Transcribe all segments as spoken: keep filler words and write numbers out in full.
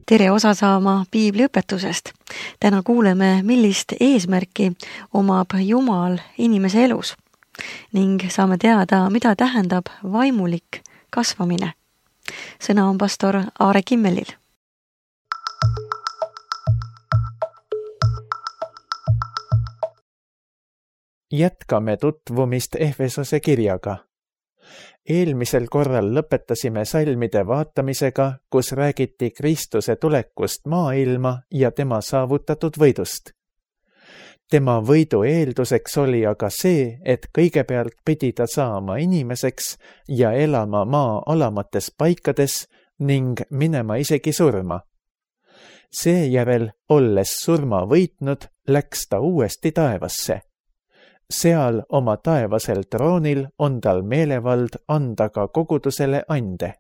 tere osa saama piibliõpetusest. Täna kuuleme, millist eesmärki omab Jumal inimese elus ning saame teada, mida tähendab vaimulik kasvamine. Sõna on pastor Aare Kimmelil. Jätkame tutvumist Efesose kirjaga. Eelmisel korral lõpetasime salmide vaatamisega, kus räägiti Kristuse tulekust maailma ja tema saavutatud võidust. Tema võidu eelduseks oli aga see, et kõigepealt pidi ta saama inimeseks ja elama maa alamates paikades ning minema isegi surma. Seejärel, olles surma võitnud, läks ta uuesti taevasse. Seal oma taevasel troonil on tal meelevald anda ka kogudusele ande.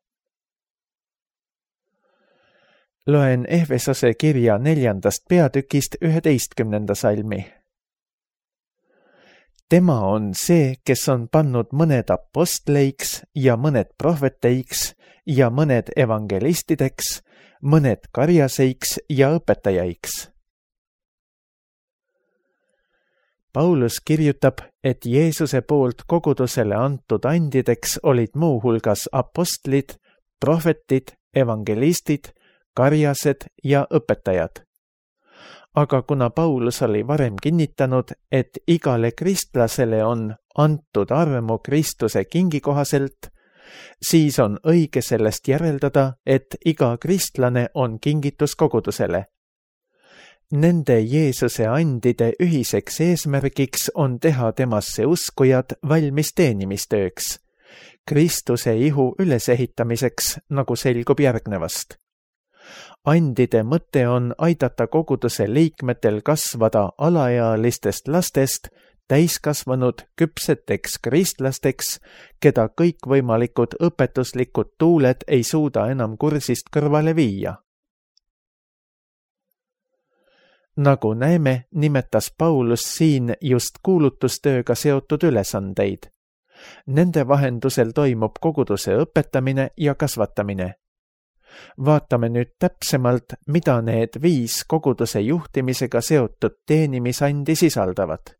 Loen Efesose kirja neljandast peatükist üheteistkümnenda salmi. Tema on see, kes on pannud mõned apostleiks ja mõned prohveteiks ja mõned evangelistideks, mõned karjaseiks ja õpetajaiks. Paulus kirjutab, et Jeesuse poolt kogudusele antud andideks olid muu hulgas apostlid, prohvetid, evangelistid, karjased ja õpetajad. Aga kuna Paulus oli varem kinnitanud, et igale kristlasele on antud armu Kristuse kingi kohaselt, siis on õige sellest järeldada, et iga kristlane on kingitus kogudusele. Nende Jeesuse andide ühiseks eesmärgiks on teha temasse uskujad valmis teenimistööks, Kristuse ihu ülesehitamiseks, nagu selgub järgnevast. Andide mõte on aidata koguduse liikmetel kasvada alaealistest lastest täiskasvanud küpseteks kristlasteks, keda kõikvõimalikud õpetuslikud tuuled ei suuda enam kursist kõrvale viia. Nagu näeme, nimetas Paulus siin just kuulutustööga seotud ülesandeid. Nende vahendusel toimub koguduse õpetamine ja kasvatamine. Vaatame nüüd täpsemalt, mida need viis koguduse juhtimisega seotud teenimisandi sisaldavad.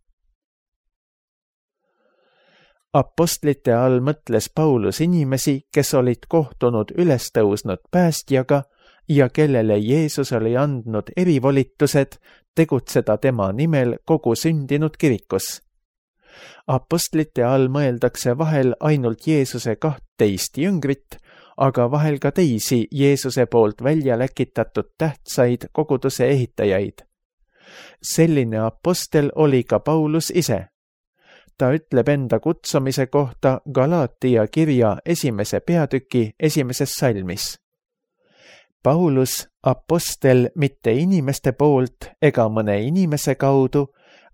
Apostlite all mõtles Paulus inimesi, kes olid kohtunud ülestõusnud päästjaga ja kellele Jeesus oli andnud erivolitused tegutseda tema nimel kogu sündinud kirikus. Apostlite all mõeldakse vahel ainult Jeesuse kahtteist jüngrit, aga vahel ka teisi Jeesuse poolt välja läkitatud tähtsaid koguduse ehitajaid. Selline apostel oli ka Paulus ise. Ta ütleb enda kutsumise kohta Galaatia kirja esimese peatüki esimeses salmis. Paulus, apostel mitte inimeste poolt ega mõne inimese kaudu,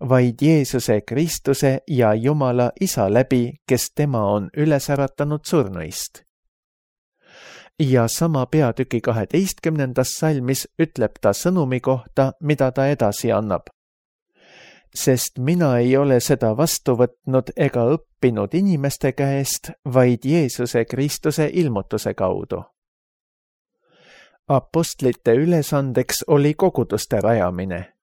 vaid Jeesuse Kristuse ja Jumala Isa läbi, kes tema on üles äratanud surnuist. Ja sama peatüki kaheteistkümnendas salmis ütleb ta sõnumi kohta, mida ta edasi annab. Sest mina ei ole seda vastu võtnud ega õppinud inimeste käest, vaid Jeesuse Kristuse ilmutuse kaudu. Apostlite ülesandeks oli koguduste rajamine.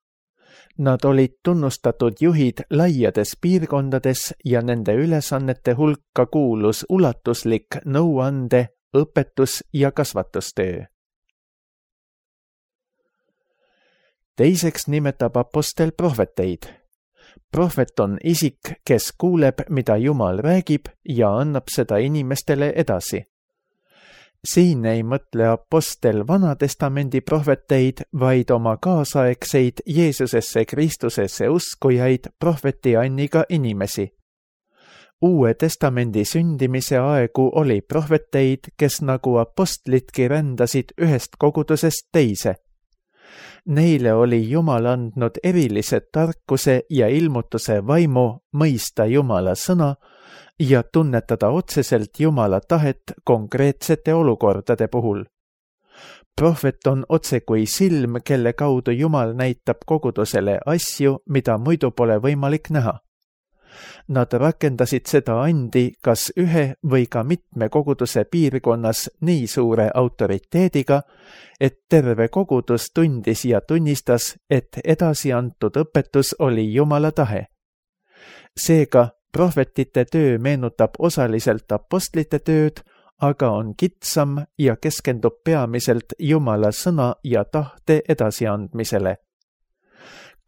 Nad olid tunnustatud juhid laiades piirkondades ja nende ülesannete hulka kuulus ulatuslik nõuande, õpetus ja kasvatustöö. Teiseks nimetab apostel prohveteid. Prohvet on isik, kes kuuleb, mida Jumal räägib ja annab seda inimestele edasi. Siin ei mõtle apostel Vanatestamendi prohveteid, vaid oma kaasaegseid Jeesusesse Kristusesse uskujaid prohveti anniga inimesi. Uue testamendi sündimise aegu oli prohveteid, kes nagu apostlitki rändasid ühest kogudusest teise. Neile oli Jumal andnud erilise tarkuse ja ilmutuse vaimu mõista Jumala sõna ja tunnetada otseselt Jumala tahet konkreetsete olukordade puhul. Prohvet on otse kui silm, kelle kaudu Jumal näitab kogudusele asju, mida muidu pole võimalik näha. Nad rakendasid seda andi kas ühe või ka mitme koguduse piirkonnas nii suure autoriteediga, et terve kogudus tundis ja tunnistas, et edasi antud õpetus oli Jumala tahe. Seega prohvetite töö meenutab osaliselt apostlite tööd, aga on kitsam ja keskendub peamiselt Jumala sõna ja tahte edasiandmisele.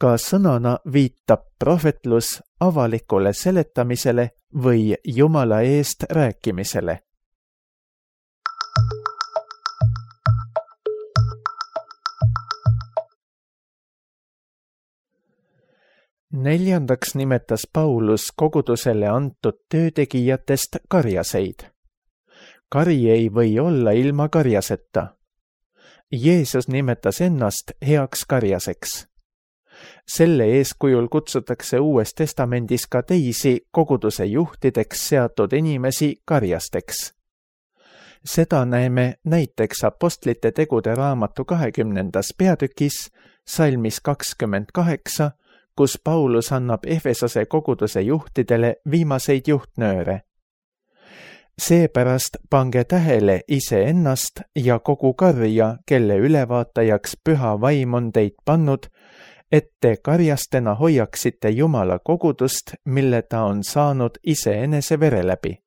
Ka sõnana viitab prohvetlus avalikule seletamisele või Jumala eest rääkimisele. Neljandaks nimetas Paulus kogudusele antud töötegijatest karjaseid. Kari ei või olla ilma karjaseta. Jeesus nimetas ennast heaks karjaseks. Selle eeskujul kutsutakse Uues Testamendis ka teisi koguduse juhtideks seatud inimesi karjasteks. Seda näeme näiteks apostlite tegude raamatu kahekümnendas peatükis, salmis kakskümmend kaheksa, kus Paulus annab Efesose koguduse juhtidele viimaseid juhtnööre. Seepärast pange tähele iseennast ja kogu karja, kelle ülevaatajaks püha vaim on teid pannud, et te karjastena hoiaksite Jumala kogudust, mille ta on saanud iseenese vere läbi.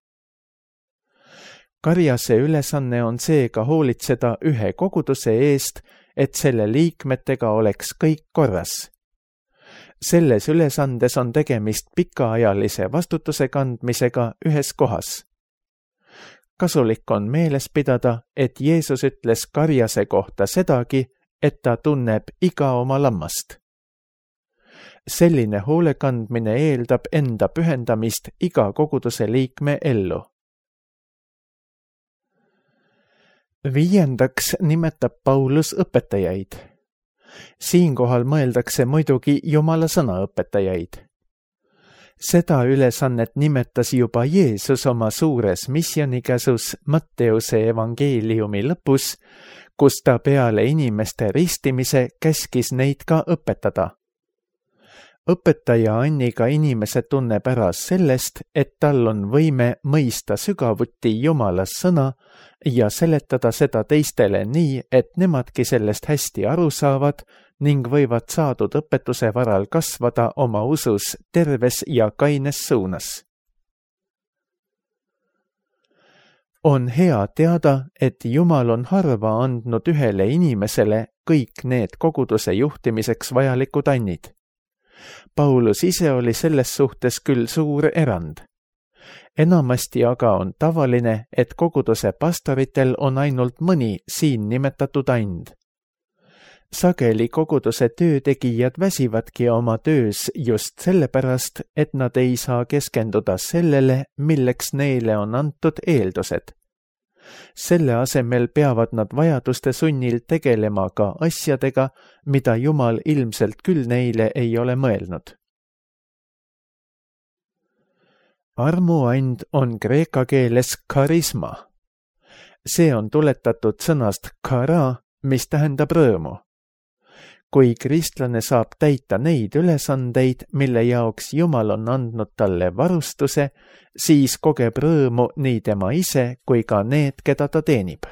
Karjase ülesanne on seega hoolitseda ühe koguduse eest, et selle liikmetega oleks kõik korras. Selles ülesandes on tegemist pikaajalise vastutuse kandmisega ühes kohas. Kasulik on meeles pidada, et Jeesus ütles karjase kohta sedagi, et ta tunneb iga oma lammast. Selline hoolekandmine eeldab enda pühendamist iga koguduse liikme ellu. Viiendaks nimetab Paulus õpetajaid. Siinkohal mõeldakse muidugi Jumala sõna õpetajaid. Seda ülesannet nimetas juba Jeesus oma suures missionikäsus Matteuse evangeeliumi lõpus, kus ta peale inimeste ristimise käskis neid ka õpetada. Õpetaja Anniga inimese tunneb ära sellest, et tal on võime mõista sügavuti Jumala sõna ja seletada seda teistele nii, et nemadki sellest hästi aru saavad ning võivad saadud õpetuse varal kasvada oma usus terves ja kaines suunas. On hea teada, et Jumal on harva andnud ühele inimesele kõik need koguduse juhtimiseks vajalikud annid. Paulus ise oli selles suhtes küll suur erand. Enamasti aga on tavaline, et koguduse pastoritel on ainult mõni siin nimetatud and. Sageli koguduse töötegijad väsivadki oma töös just sellepärast, et nad ei saa keskenduda sellele, milleks neile on antud eeldused. Selle asemel peavad nad vajaduste sunnil tegelema ka asjadega, mida Jumal ilmselt küll neile ei ole mõelnud. Armuand on kreeka keeles karisma. See on tuletatud sõnast kara, mis tähendab rõõmu. Kui kristlane saab täita neid ülesandeid, mille jaoks Jumal on andnud talle varustuse, siis kogeb rõõmu nii tema ise kui ka need, keda ta teenib.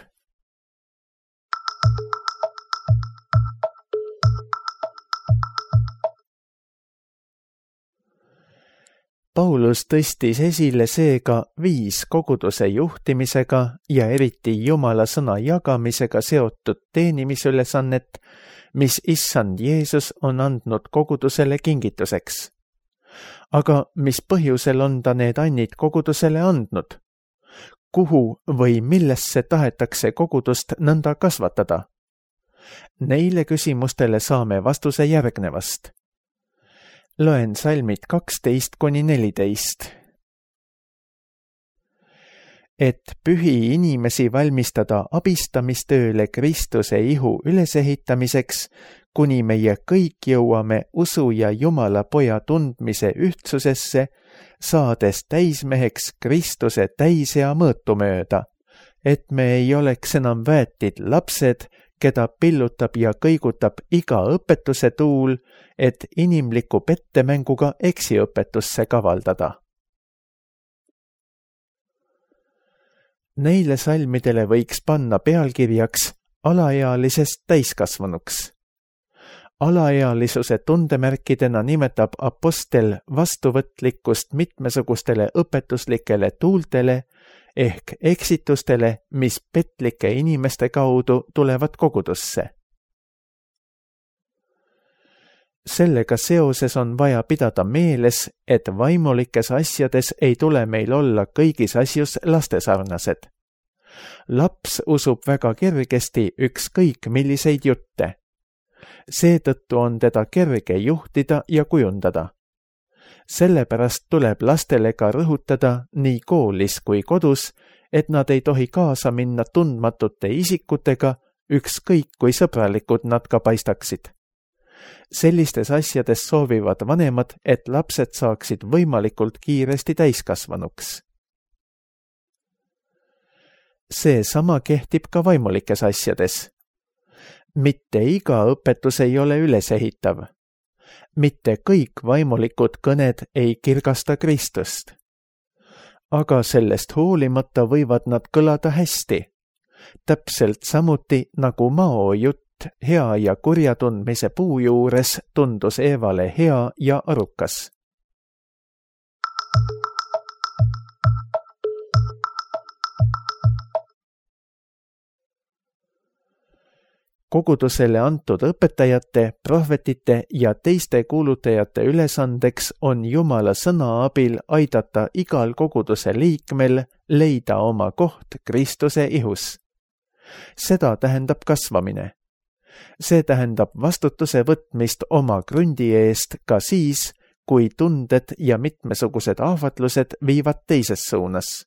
Paulus tõstis esile seega viis koguduse juhtimisega ja eriti Jumala sõna jagamisega seotud teenimisülesannet, mis issand Jeesus on andnud kogudusele kingituseks. Aga mis põhjusel on ta need annid kogudusele andnud? Kuhu või millesse tahetakse kogudust nõnda kasvatada? Neile küsimustele saame vastuse järgnevast. Loen salmid kaksteist kuni neliteist. Et pühi inimesi valmistada abistamistööle Kristuse ihu ülesehitamiseks, kuni meie kõik jõuame usu ja Jumala poja tundmise ühtsusesse, saades täismeheks Kristuse täisea mõõtu mööda, et me ei oleks enam väetid lapsed, keda pillutab ja kõigutab iga õpetuse tuul, et inimliku pettemänguga eksiõpetusse kavaldada. Neile salmidele võiks panna pealkirjaks alaealisest täiskasvanuks. Alaealisuse tundemärkidena nimetab apostel vastuvõtlikkust mitmesugustele õpetuslikele tuultele ehk eksitustele, mis petlike inimeste kaudu tulevad kogudusse. Sellega seoses on vaja pidada meeles, et vaimulikes asjades ei tule meil olla kõigis asjus lastesarnased. Laps usub väga kergesti ükskõik milliseid jutte. Seetõttu on teda kerge juhtida ja kujundada. Sellepärast tuleb lastele ka rõhutada nii koolis kui kodus, et nad ei tohi kaasa minna tundmatute isikutega, ükskõik kui sõbralikud nad ka paistaksid. Sellistes asjades soovivad vanemad, et lapsed saaksid võimalikult kiiresti täiskasvanuks. See sama kehtib ka vaimulikes asjades. Mitte iga õpetus ei ole ülesehitav. Mitte kõik vaimulikud kõned ei kirgasta Kristust. Aga sellest hoolimata võivad nad kõlada hästi. Täpselt samuti nagu Mao jutt hea ja kurja tundmise puu juures tundus Eevale hea ja arukas. Kogudusele antud õpetajate, prohvetite ja teiste kuulutajate ülesandeks on Jumala sõna abil aidata igal koguduse liikmel leida oma koht Kristuse ihus. Seda tähendab kasvamine. See tähendab vastutuse võtmist oma krundi eest ka siis, kui tunded ja mitmesugused ahvatlused viivad teises suunas.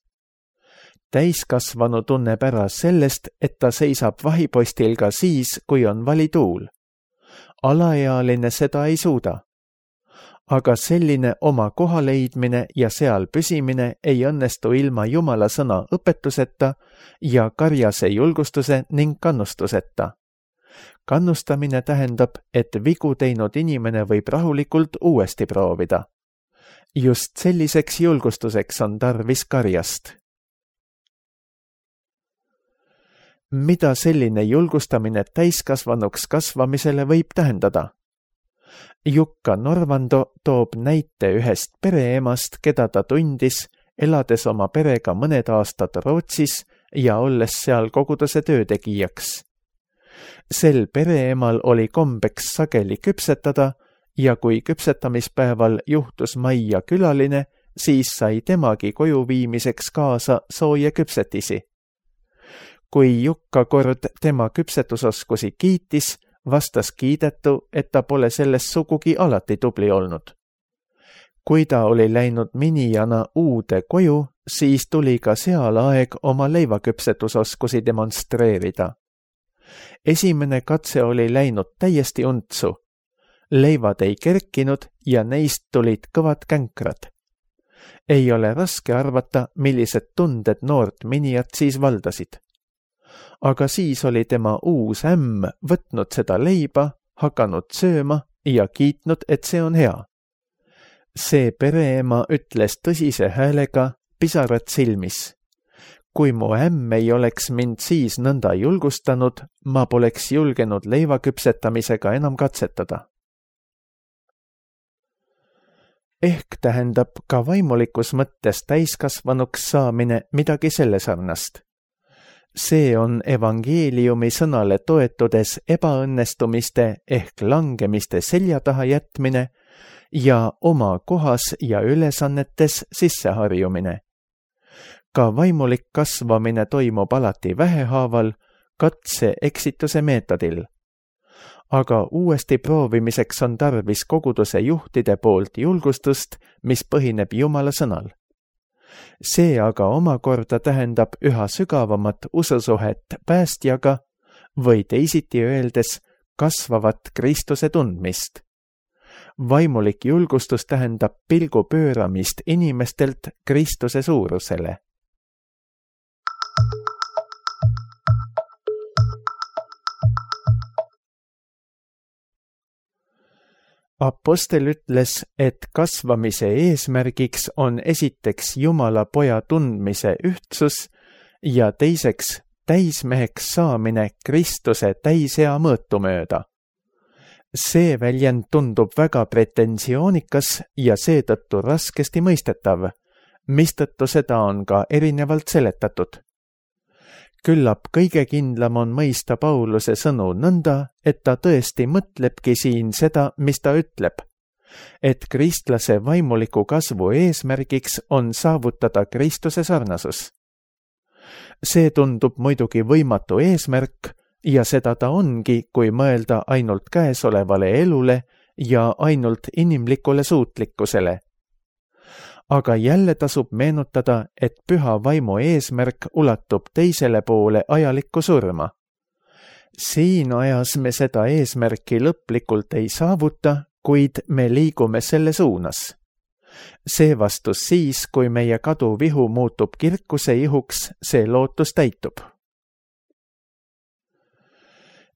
Täiskasvanu tunneb ära sellest, et ta seisab vahipostil ka siis, kui on valituul. Alaealine seda ei suuda. Aga selline oma koha leidmine ja seal püsimine ei õnnestu ilma Jumala sõna õpetuseta ja karjase julgustuse ning kannustuseta. Kannustamine tähendab, et vigu teinud inimene võib rahulikult uuesti proovida. Just selliseks julgustuseks on tarvis karjast. Mida selline julgustamine täiskasvanuks kasvamisele võib tähendada? Jukka Norvando toob näite ühest pereemast, keda ta tundis, elades oma perega mõned aastad Rootsis ja olles seal koguduse töötegijaks. Sel pereemal oli kombeks sageli küpsetada ja kui küpsetamispäeval juhtus majja külaline, siis sai temagi koju viimiseks kaasa sooja küpsetisi. Kui Jukka kord tema küpsetusoskusi kiitis, vastas kiidetu, et ta pole selles sugugi alati tubli olnud. Kui ta oli läinud minijana uude koju, siis tuli ka seal aeg oma leivaküpsetusoskusi demonstreerida. Esimene katse oli läinud täiesti untsu. Leivad ei kerkinud ja neist tulid kõvad känkrad. Ei ole raske arvata, millised tunded noort minijat siis valdasid. Aga siis oli tema uus ämm võtnud seda leiba, hakanud sööma ja kiitnud, et see on hea. See pereema ütles tõsise häälega, pisarad silmis. Kui mu ämm ei oleks mind siis nõnda julgustanud, ma poleks julgenud leiva küpsetamisega enam katsetada. Ehk tähendab ka vaimulikus mõttes täiskasvanuks saamine midagi selle sarnast. See on evangeeliumi sõnale toetudes ebaõnnestumiste ehk langemiste selja taha jätmine ja oma kohas ja ülesannetes sisseharjumine. Ka vaimulik kasvamine toimub alati vähehaaval, katse eksituse meetodil. Aga uuesti proovimiseks on tarvis koguduse juhtide poolt julgustust, mis põhineb Jumala sõnal. See aga omakorda tähendab üha sügavamat ususuhet päästjaga või teisiti öeldes kasvavat Kristuse tundmist. Vaimulik julgustus tähendab pilgu pööramist inimestelt Kristuse suurusele. Apostel ütles, et kasvamise eesmärgiks on esiteks Jumala poja tundmise ühtsus ja teiseks täismeheks saamine Kristuse täisea mõõtu mööda. See väljend tundub väga pretensioonikas ja seetõttu raskesti mõistetav, mistõttu seda on ka erinevalt seletatud. Küllap kõige kindlam on mõista Pauluse sõnu nõnda, et ta tõesti mõtlebki siin seda, mis ta ütleb, et kristlase vaimuliku kasvu eesmärgiks on saavutada Kristuse sarnasus. See tundub muidugi võimatu eesmärk ja seda ta ongi, kui mõelda ainult käesolevale elule ja ainult inimlikule suutlikkusele. Aga jälle tasub meenutada, et püha vaimu eesmärk ulatub teisele poole ajalikku surma. Siin ajas me seda eesmärki lõplikult ei saavuta, kuid me liigume selle suunas. See vastus siis, kui meie kaduvihu muutub kirkuse ihuks, see lootus täitub.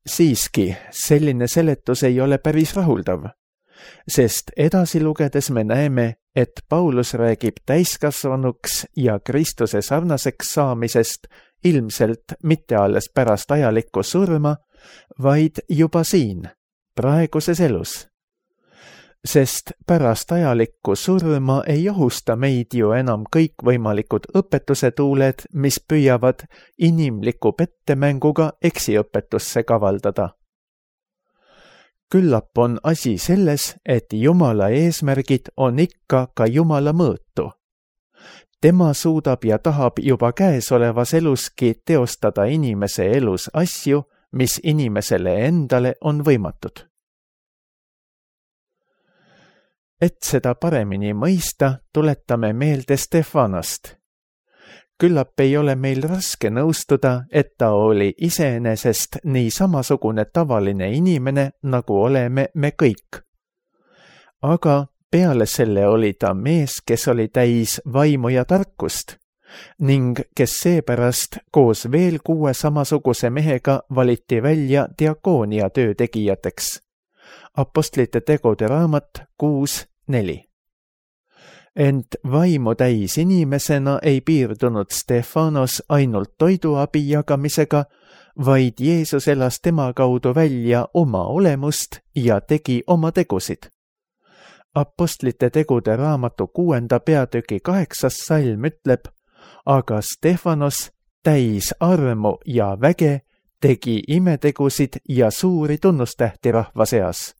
Siiski, selline seletus ei ole päris rahuldav, sest edasi lugedes me näeme, et Paulus räägib täiskasvanuks ja Kristuse sarnaseks saamisest ilmselt mitte alles pärast ajalikku surma, vaid juba siin, praeguses elus. Sest pärast ajalikku surma ei ohusta meid ju enam kõikvõimalikud õpetusetuuled, mis püüavad inimliku pettemänguga eksiõpetusse kavaldada. Küllap on asi selles, et Jumala eesmärgid on ikka ka Jumala mõõtu. Tema suudab ja tahab juba käesolevas eluski teostada inimese elus asju, mis inimesele endale on võimatud. Et seda paremini mõista, tuletame meelde Stefanost. Küllap ei ole meil raske nõustuda, et ta oli iseenesest nii samasugune tavaline inimene, nagu oleme me kõik. Aga peale selle oli ta mees, kes oli täis vaimu ja tarkust ning kes seepärast koos veel kuue samasuguse mehega valiti välja diakoonia töötegijateks. Apostlite tegude raamat kuus neli. Ent vaimu täis inimesena ei piirdunud Stefanos ainult toiduabi jagamisega, vaid Jeesus elas tema kaudu välja oma olemust ja tegi oma tegusid. Apostlite tegude raamatu kuuenda peatüki kaheksas salm ütleb, aga Stefanos täis armu ja väge tegi imetegusid ja suuri tunnustähti rahva seas.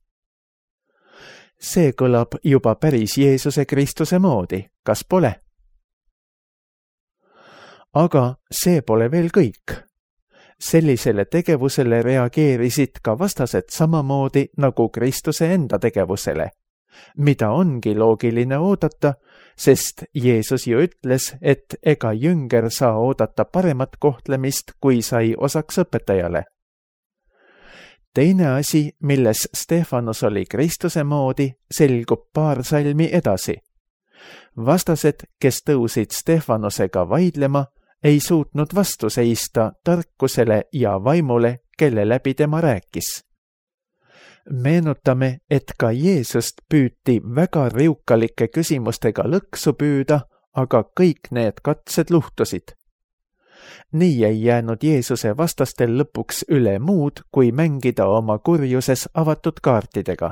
See kõlab juba päris Jeesuse Kristuse moodi, kas pole? Aga see pole veel kõik. Sellisele tegevusele reageerisid ka vastased samamoodi nagu Kristuse enda tegevusele, mida ongi loogiline oodata, sest Jeesus ju ütles, et ega jünger saa oodata paremat kohtlemist, kui sai osaks õpetajale. Teine asi, milles Stefanos oli Kristuse moodi, selgub paar salmi edasi. Vastased, kes tõusid Stefanosega vaidlema, ei suutnud vastu seista tarkusele ja vaimule, kelle läbi tema rääkis. Meenutame, et ka Jeesust püüti väga riukalike küsimustega lõksu püüda, aga kõik need katsed luhtusid. Nii ei jäänud Jeesuse vastastel lõpuks üle muud, kui mängida oma kurjuses avatud kaartidega.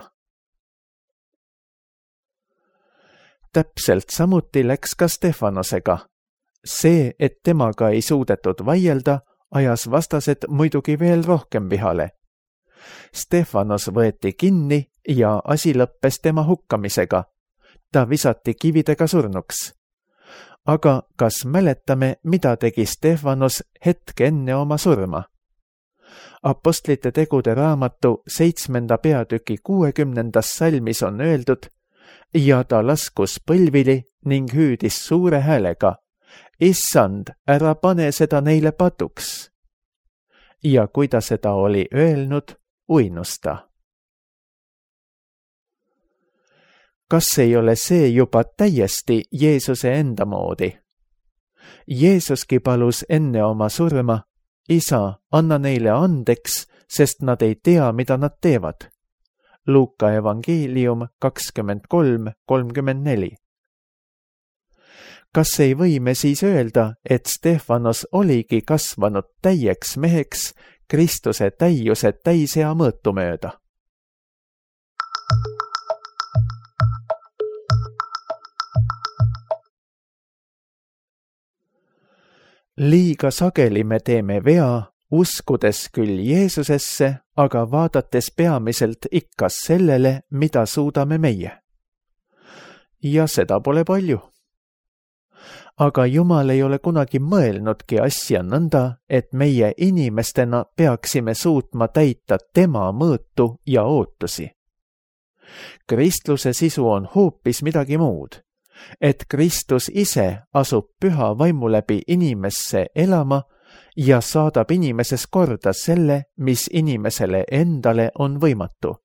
Täpselt samuti läks ka Stefanosega. See, et temaga ei suudetud vaielda, ajas vastased muidugi veel rohkem vihale. Stefanos võeti kinni ja asi lõppes tema hukkamisega. Ta visati kividega surnuks. Aga kas mäletame, mida tegi Stefanos hetk enne oma surma? Apostlite tegude raamatu seitsmenda peatüki kuuekümnendas salmis on öeldud, ja ta laskus põlvili ning hüüdis suure häälega, Issand, ära pane seda neile patuks. Ja kui ta seda oli öelnud, uinus ta. Kas ei ole see juba täiesti Jeesuse enda moodi? Jeesuski palus enne oma surma, Isa, anna neile andeks, sest nad ei tea, mida nad teevad. Luuka evangeelium kakskümmend kolm kolmkümmend neli. Kas ei või me siis öelda, et Stefanos oligi kasvanud täieks meheks Kristuse täiuse täisea mõõtu mööda? Liiga sageli me teeme vea, uskudes küll Jeesusesse, aga vaadates peamiselt ikka sellele, mida suudame meie. Ja seda pole palju. Aga Jumal ei ole kunagi mõelnudki asja nõnda, et meie inimestena peaksime suutma täita tema mõõtu ja ootusi. Kristluse sisu on hoopis midagi muud, et Kristus ise asub püha vaimu läbi inimesse elama ja saadab inimeses korda selle, mis inimesele endale on võimatu.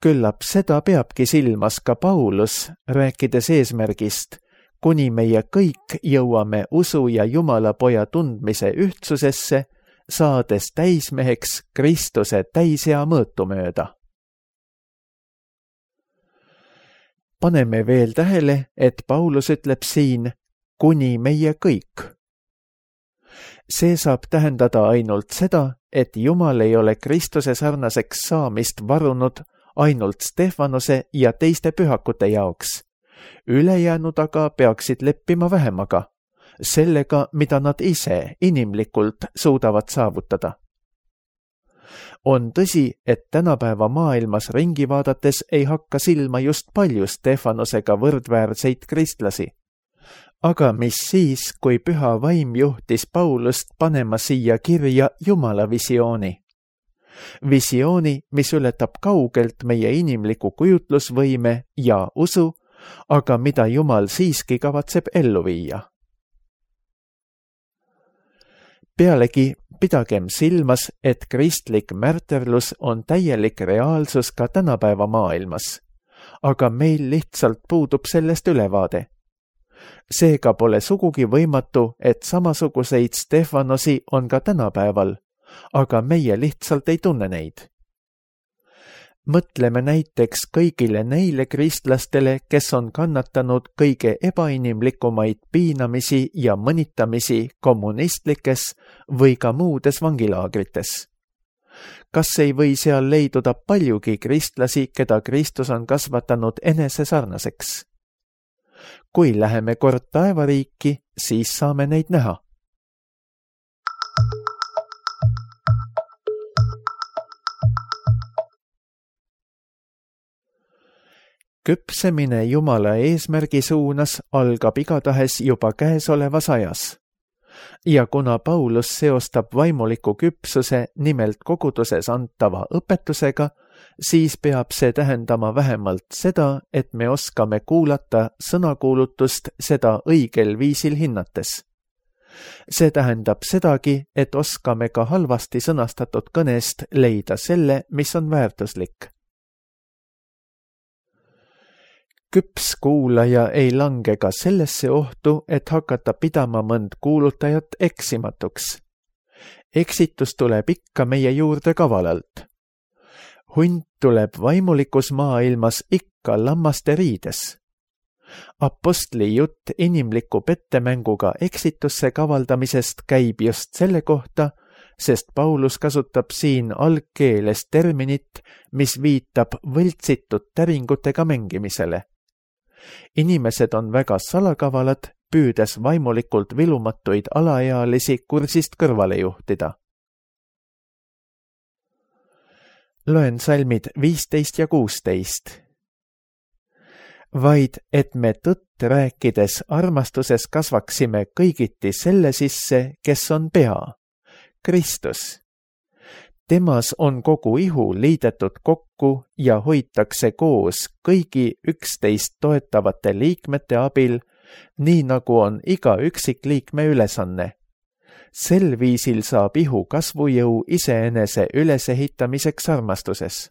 Küllap seda peabki silmas ka Paulus, rääkides eesmärgist, kuni meie kõik jõuame usu ja Jumala poja tundmise ühtsusesse, saades täismeheks Kristuse täisea mõõtu mööda. Paneme veel tähele, et Paulus ütleb siin, kuni meie kõik. See saab tähendada ainult seda, et Jumal ei ole Kristuse sarnaseks saamist varunud ainult Stefanose ja teiste pühakute jaoks. Ülejäänud aga peaksid leppima vähemaga, sellega, mida nad ise inimlikult suudavad saavutada. On tõsi, et tänapäeva maailmas ringi vaadates ei hakka silma just palju Stefanosega võrdväärseid kristlasi. Aga mis siis, kui püha vaim juhtis Paulust panema siia kirja Jumala visiooni? Visiooni, mis ületab kaugelt meie inimliku kujutlusvõime ja usu, aga mida Jumal siiski kavatseb ellu viia. Pealegi pidagem silmas, et kristlik märterlus on täielik reaalsus ka tänapäeva maailmas, aga meil lihtsalt puudub sellest ülevaade. Seega pole sugugi võimatu, et samasuguseid Stefanosi on ka tänapäeval, aga meie lihtsalt ei tunne neid. Mõtleme näiteks kõigile neile kristlastele, kes on kannatanud kõige ebainimlikumaid piinamisi ja mõnitamisi kommunistlikes või ka muudes vangilaagrites. Kas ei või seal leiduda paljugi kristlasi, keda Kristus on kasvatanud enese sarnaseks? Kui läheme kord taevariiki, siis saame neid näha. Küpsemine Jumala eesmärgi suunas algab igatahes juba käesolevas ajas. Ja kuna Paulus seostab vaimuliku küpsuse nimelt koguduses antava õpetusega, siis peab see tähendama vähemalt seda, et me oskame kuulata sõnakuulutust seda õigel viisil hinnates. See tähendab sedagi, et oskame ka halvasti sõnastatud kõnest leida selle, mis on väärtuslik. Küps kuulaja ei lange ka sellesse ohtu, et hakata pidama mõnd kuulutajat eksimatuks. Eksitus tuleb ikka meie juurde kavalalt. Hunt tuleb vaimulikus maailmas ikka lammaste riides. Apostli jutt inimliku pettemänguga eksitusse kavaldamisest käib just selle kohta, sest Paulus kasutab siin algkeeles terminit, mis viitab võltsitud täringutega mängimisele. Inimesed on väga salakavalad, püüdes vaimulikult vilumatuid alaealisi kursist kõrvale juhtida. Loen salmid viisteist ja kuusteist. Vaid, et me tõtt rääkides armastuses kasvaksime kõigiti selle sisse, kes on pea, Kristus. Temas on kogu ihu liidetud kokku ja hoitakse koos kõigi üksteist toetavate liikmete abil, nii nagu on iga üksikliikme ülesanne. Sel viisil saab ihu kasvujõu iseenese ülesehitamiseks armastuses.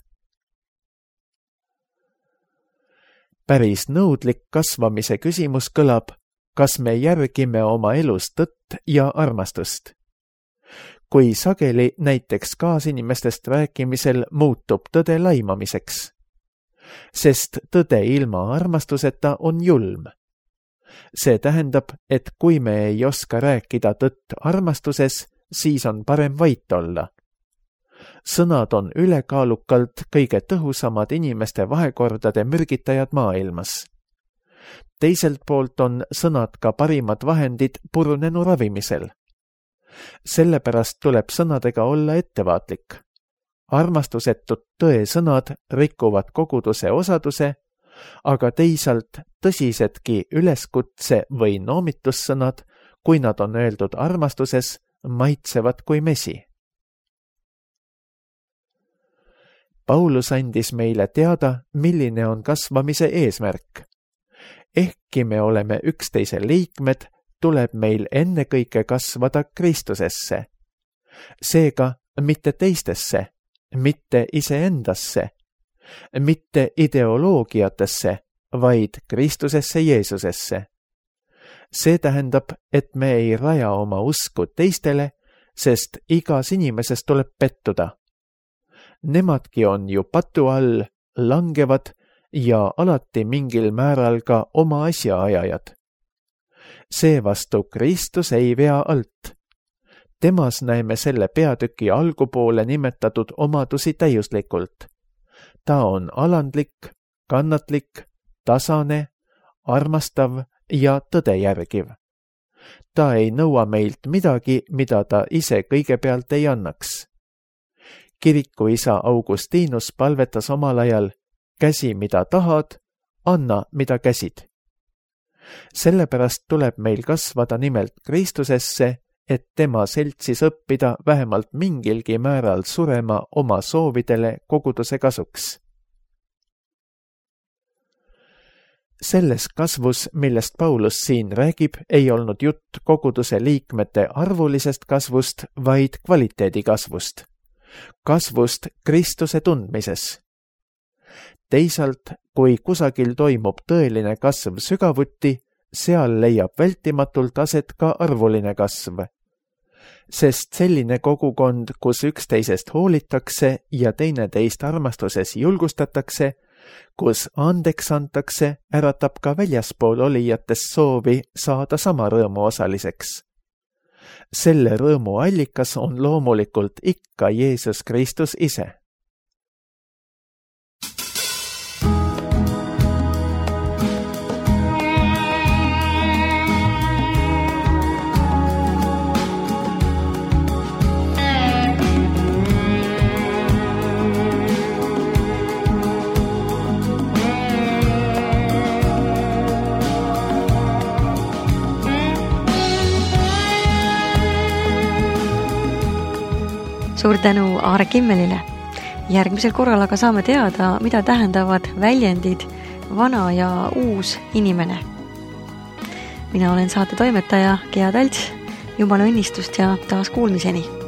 Päris nõudlik kasvamise küsimus kõlab, kas me järgime oma elus tõtt ja armastust. kui sageli näiteks kaasinimestest rääkimisel muutub tõde laimamiseks. Sest tõde ilma armastuseta on julm. See tähendab, et kui me ei oska rääkida tõtt armastuses, siis on parem vait olla. Sõnad on ülekaalukalt kõige tõhusamad inimeste vahekordade mürgitajad maailmas. Teiselt poolt on sõnad ka parimad vahendid purunenu ravimisel. Sellepärast tuleb sõnadega olla ettevaatlik. Armastusetud tõesõnad rikuvad koguduse osaduse, aga teisalt tõsisedki üleskutse või noomitussõnad, kui nad on öeldud armastuses, maitsevad kui mesi. Paulus andis meile teada, milline on kasvamise eesmärk. Ehkki me oleme üksteise liikmed, tuleb meil ennekõike kasvada Kristusesse. Seega mitte teistesse, mitte iseendasse, mitte ideoloogiatesse, vaid Kristusesse Jeesusesse. See tähendab, et me ei raja oma usku teistele, sest igas inimeses tuleb pettuda. Nemadki on ju patu all, langevad ja alati mingil määral ka oma asjaajajad. Seevastu Kristus ei vea alt. Temas näeme selle peatüki algupoole nimetatud omadusi täiuslikult. Ta on alandlik, kannatlik, tasane, armastav ja tõde järgiv. Ta ei nõua meilt midagi, mida ta ise kõigepealt ei annaks. Kirikuisa Augustinus palvetas omal ajal, käsi mida tahad, anna mida käsid. Sellepärast tuleb meil kasvada nimelt Kristusesse, et tema seltsis õppida vähemalt mingilgi määral surema oma soovidele koguduse kasuks. Selles kasvus, millest Paulus siin räägib, ei olnud jutt koguduse liikmete arvulisest kasvust, vaid kvaliteedi kasvust. Kasvust Kristuse tundmises. Teisalt, kui kusagil toimub tõeline kasv sügavuti, seal leiab vältimatult aset ka arvuline kasv. Sest selline kogukond, kus üksteisest hoolitakse ja teineteist armastuses julgustatakse, kus andeks antakse, äratab ka väljaspool olijatest soovi saada sama rõõmu osaliseks. Selle rõõmu allikas on loomulikult ikka Jeesus Kristus ise. Suur tänu Aare Kimmelile. Järgmisel korral aga saame teada, mida tähendavad väljendid vana ja uus inimene. Mina olen saate toimetaja Gea Talts. Jumala õnnistust ja taas kuulmiseni!